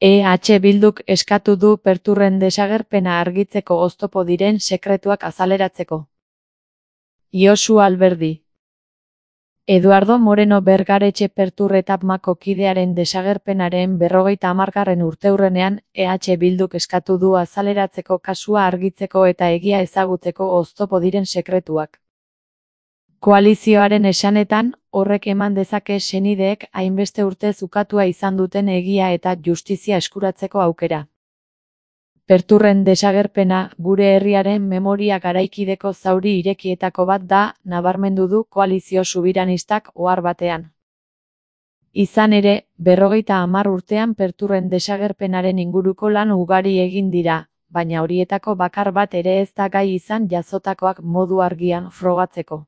Bilduk eskatu du Perturren desagerpena argitzeko oztopo diren sekretuak azaleratzeko. Josu Alberdi. Eduardo Moreno Bergaretxe Pertur etapmako kidearen desagerpenaren 50. urteurrenean Bilduk eskatu du azaleratzeko kasua argitzeko eta egia ezagutzeko oztopo diren sekretuak. Koalizioaren esanetan, horrek eman dezake senideek hainbeste urtez ukatua izan duten egia eta justizia eskuratzeko aukera. Perturren desagerpena gure herriaren memoria garaikideko zauri irekietako bat da, nabarmendu du koalizio subiranistak ohar batean. Izan ere, 50 urtean Perturren desagerpenaren inguruko lan ugari egin dira, baina horietako bakar bat ere ez da gai izan jazotakoak modu argian frogatzeko.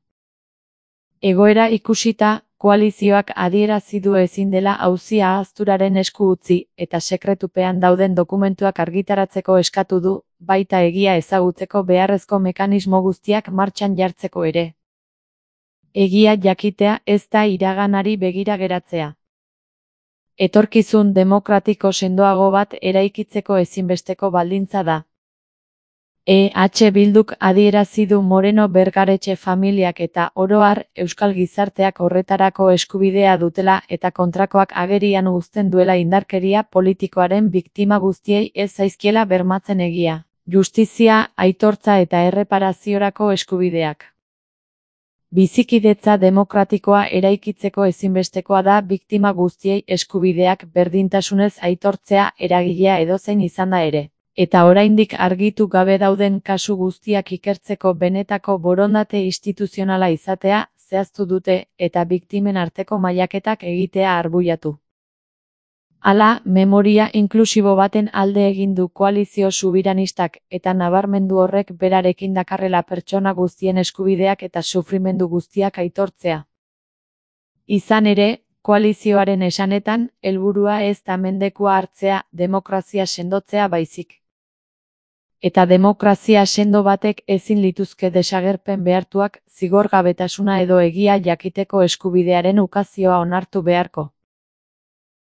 Egoera ikusita, koalizioak adierazi du ezin dela auzia ahazturaren esku utzi eta sekretupean dauden dokumentuak argitaratzeko eskatu du, baita egia ezagutzeko beharrezko mekanismo guztiak martxan jartzeko ere. Egia jakitea ez da iraganari begira geratzea. Etorkizun demokratiko sendoago bat eraikitzeko ezinbesteko baldintza da. Bilduk adierazi du Moreno Bergaretxe familiak eta oro har euskal gizarteak horretarako eskubidea dutela eta kontrakoak agerian uzten duela indarkeria politikoaren biktima guztiei ez zaizkiela bermatzen egia, justizia, aitortza eta erreparaziorako eskubideak. Bizikidetza demokratikoa eraikitzeko ezinbestekoa da biktima guztiei eskubideak berdintasunez aitortzea eragilea edozein izanda ere. Eta oraindik argitu gabe dauden kasu guztiak ikertzeko benetako borondate instituzionala izatea zehaztu dute eta biktimen arteko mailaketak egitea arbuiatu. Hala, memoria inklusibo baten alde egin du koalizio subiranistak eta nabarmendu horrek berarekin dakarrela pertsona guztien eskubideak eta sufrimendu guztiak aitortzea. Izan ere, koalizioaren esanetan, helburua ez da mendekua hartzea, demokrazia sendotzea baizik. Eta demokrazia sendo batek ezin lituzke desagerpen behartuak, zigorgabetasuna edo egia jakiteko eskubidearen ukazioa onartu beharko.